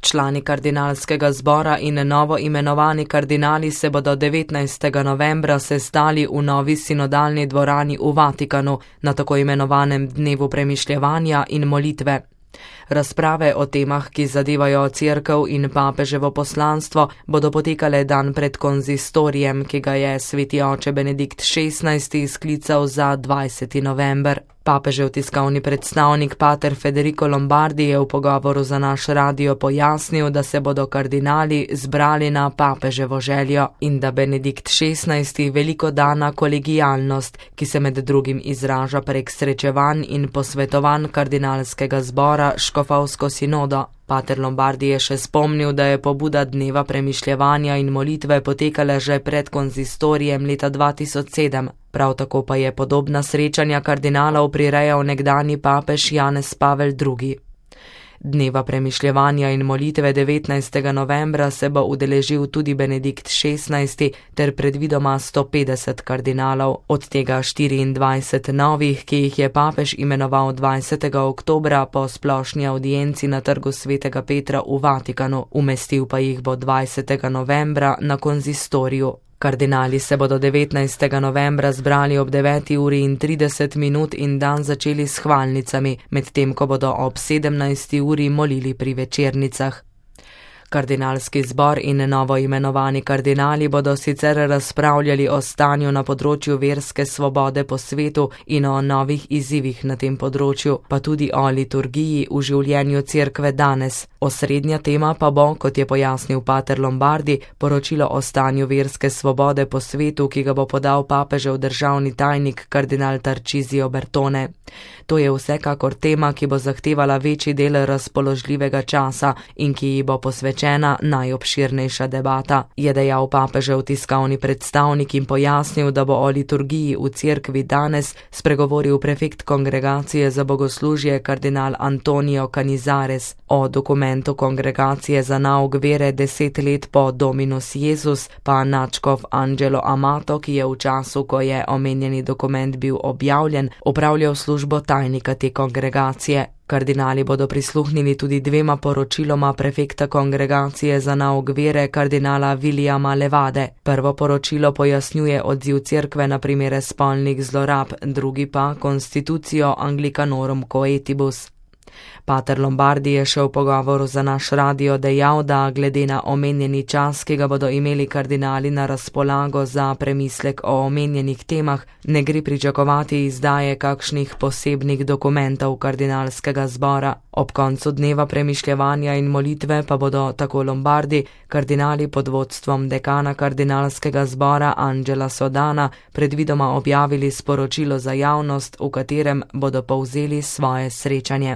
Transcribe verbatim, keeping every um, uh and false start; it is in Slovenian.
Člani kardinalskega zbora in novo imenovani kardinali se bodo devetnajstega novembra sestali v novi sinodalni dvorani v Vatikanu na tako imenovanem dnevu premišljevanja in molitve. Razprave o temah, ki zadevajo cerkev in papeževo poslanstvo, bodo potekale dan pred konzistorijem, ki ga je sveti oče Benedikt šestnajsti sklical za dvajseti november. Papežev tiskovni predstavnik pater Federico Lombardi je v pogovoru za naš radio pojasnil, da se bodo kardinali zbrali na papeževo željo in da Benedikt šestnajsti veliko da na kolegijalnost, ki se med drugim izraža prek srečevanj in posvetovanj kardinalskega zbora škofovsko sinodo. Pater Lombardi je še spomnil, da je pobuda dneva premišljevanja in molitve potekala že pred konzistorijem leta dva tisoč sedem. Prav tako pa je podobna srečanja kardinalov prirejal nekdanji papež Janez Pavel drugi. Dneva premišljevanja in molitve devetnajstega novembra se bo udeležil tudi Benedikt šestnajsti ter predvidoma sto petdeset kardinalov, od tega štiriindvajset novih, ki jih je papež imenoval dvajsetega oktobra po splošni avdienci na trgu svetega Petra v Vatikanu, umestil pa jih bo dvajsetega novembra na konzistoriju. Kardinali se bodo devetnajstega novembra zbrali ob deveti uri in trideset minut in dan začeli s hvalnicami, medtem ko bodo ob sedemnajsti uri molili pri večernicah. Kardinalski zbor in novo imenovani kardinali bodo sicer razpravljali o stanju na področju verske svobode po svetu in o novih izzivih na tem področju, pa tudi o liturgiji v življenju cerkve danes. Osrednja tema pa bo, kot je pojasnil pater Lombardi, poročilo o stanju verske svobode po svetu, ki ga bo podal papežev državni tajnik kardinal Tarcisio Bertone. To je vsekakor tema, ki bo zahtevala večji del razpoložljivega časa in ki ji bo posvečena najobširnejša debata, je dejal papežev tiskovni predstavnik in pojasnil, da bo o liturgiji v cerkvi danes spregovoril prefekt kongregacije za bogoslužje kardinal Antonio Canizares. O dokumentu kongregacije za nauk vere deset let po Dominus Jezus pa nadškof Angelo Amato, ki je v času, ko je omenjeni dokument bil objavljen, opravljal službo tajnika te kongregacije. Kardinali bodo prisluhnili tudi dvema poročiloma prefekta kongregacije za nauk vere kardinala Williama Levade. Prvo poročilo pojasnjuje odziv cerkve na primere spolnih zlorab, drugi pa Constitutio Anglicanorum Coetibus. Pater Lombardi je še v pogovoru za naš radio dejal, da glede na omenjeni čas, ki ga bodo imeli kardinali na razpolago za premislek o omenjenih temah, ne gre pričakovati izdaje kakšnih posebnih dokumentov kardinalskega zbora. Ob koncu dneva premišljevanja in molitve pa bodo, tako Lombardi, kardinali pod vodstvom dekana kardinalskega zbora Angela Sodana predvidoma objavili sporočilo za javnost, v katerem bodo povzeli svoje srečanje.